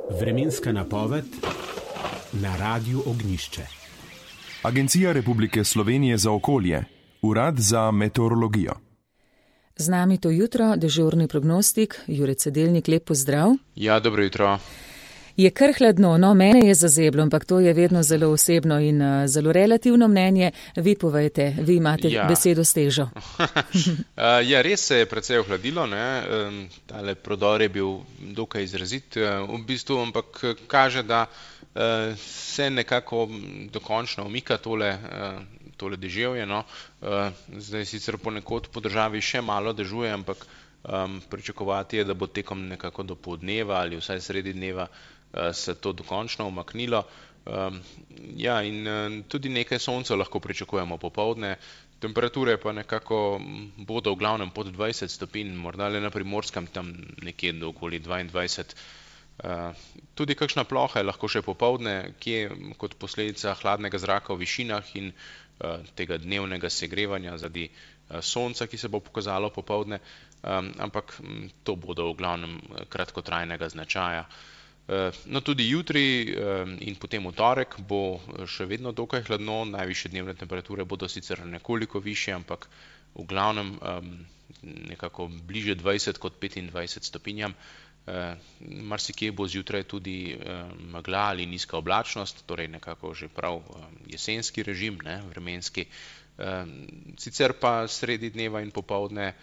Vremenska napoved na Radiu Ognjišče. Agencija Republike Slovenije za okolje, Urad za meteorologijo. Z nami to jutro dežurni prognostik, Jure Cedelnik, lep pozdrav. Ja, dobro jutro. Je kar hladno, no, mene je zazeblo, ampak to je vedno zelo osebno in zelo relativno mnenje. Vi povejte, vi imate besedo s težo. Ja, res se je precej ohladilo, ne. Tale prodor je bil dokaj izrazit v bistvu, ampak kaže, da se nekako dokončno umika tole deževje, no. Zdaj sicer ponekod po državi še malo dežuje, ampak pričakovati je, da bo tekom nekako do poldneva ali vsaj sredi dneva se to dokončno umaknilo. Ja, in tudi nekaj sonca lahko pričakujemo popoldne. Temperature pa nekako bodo v glavnem pod 20 stopinj, morda le na Primorskem tam nekje do okoli 22. Tudi kakšna ploha je lahko še popoldne, kje kot posledica hladnega zraka v višinah in tega dnevnega segrevanja zaradi sonca, ki se bo pokazalo popoldne, ampak to bodo v glavnem kratkotrajnega značaja. No, tudi jutri in potem v torek bo še vedno dokaj hladno, najvišje dnevne temperature bodo sicer nekoliko višje, ampak v glavnem nekako bliže 20 kot 25 stopinjam. Marsikje bo zjutraj tudi megla ali nizka oblačnost, torej nekako že prav jesenski režim, ne, vremenski. Sicer pa sredi dneva in popoldne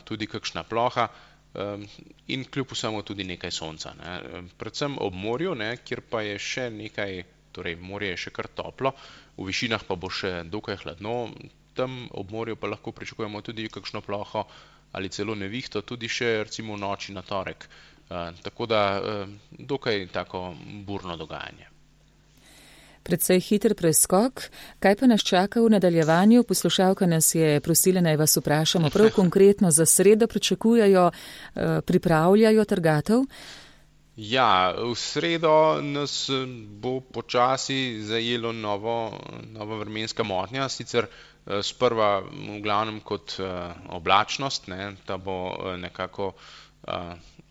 tudi kakšna ploha in kljub vsemu tudi nekaj sonca, ne. Predvsem ob morju, ne, kjer pa je še nekaj, torej morje je še kar toplo, v višinah pa bo še dokaj hladno, tam ob morju pa lahko pričakujemo tudi kakšno ploho ali celo nevihto, tudi še recimo v noči na torek. Tako da dokaj tako burno dogajanje. Predvsej hiter preskok. Kaj pa nas čaka v nadaljevanju? Poslušalka nas je prosila, naj vas vprašamo prav konkretno za sredo, pričakujejo, pripravljajo trgatev? Ja, v sredo nas bo počasi zajelo nova vremenska motnja, sicer sprva v glavnem kot oblačnost, ne, ta bo nekako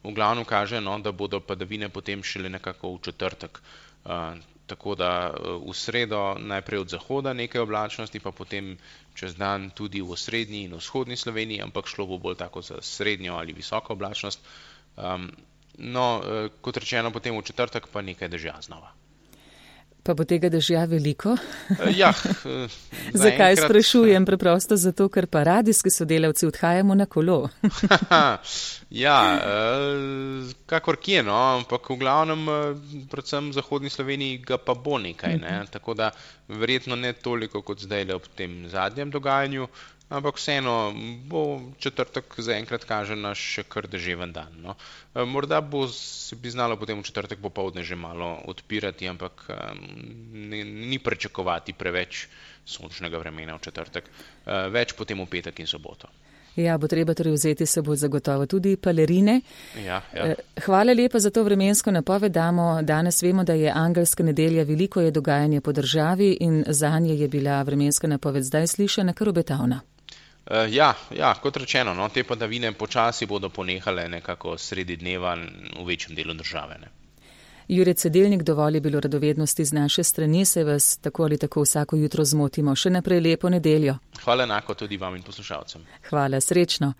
v glavnem kaže, no, da bodo padavine potem šele nekako v četrtek. Tako da v sredo najprej od zahoda nekaj oblačnosti, pa potem čez dan tudi v osrednji in vzhodni Sloveniji, ampak šlo bo bolj tako za srednjo ali visoko oblačnost. No, kot rečeno, potem v četrtek pa nekaj dežja znova. Pa bo tega dežja veliko? Ja. Zakaj sprašujem? Preprosto zato, ker pa radijski sodelavci odhajamo na kolo. Ja, kakor kje, no, ampak v glavnem, predvsem v zahodni Sloveniji ga pa bo nekaj, ne, tako da verjetno ne toliko kot zdajle ob tem zadnjem dogajanju, ampak vseeno bo četrtek zaenkrat kaže na še kar deževen dan, no. Morda se bi znalo potem v četrtek popoldne že malo odpirati, ampak ni pričakovati preveč sončnega vremena v četrtek, več potem v petek in soboto. Ja, bo treba torej vzeti se bo zagotovo tudi palerine. Ja. Hvala lepa za to vremensko napoved. Danes vemo, da je angelska nedelja, veliko je dogajanje po državi in zanje je bila vremenska napoved zdaj slišana kar obetavna. Ja, kot rečeno, no, te padavine počasi bodo ponehale nekako sredi dneva v večjem delu države, ne. Jure Cedelnik, dovolj je bilo radovednosti z naše strani, se vas tako ali tako vsako jutro zmotimo. Še naprej lepo nedeljo. Hvala enako tudi vam in poslušalcem. Hvala, srečno.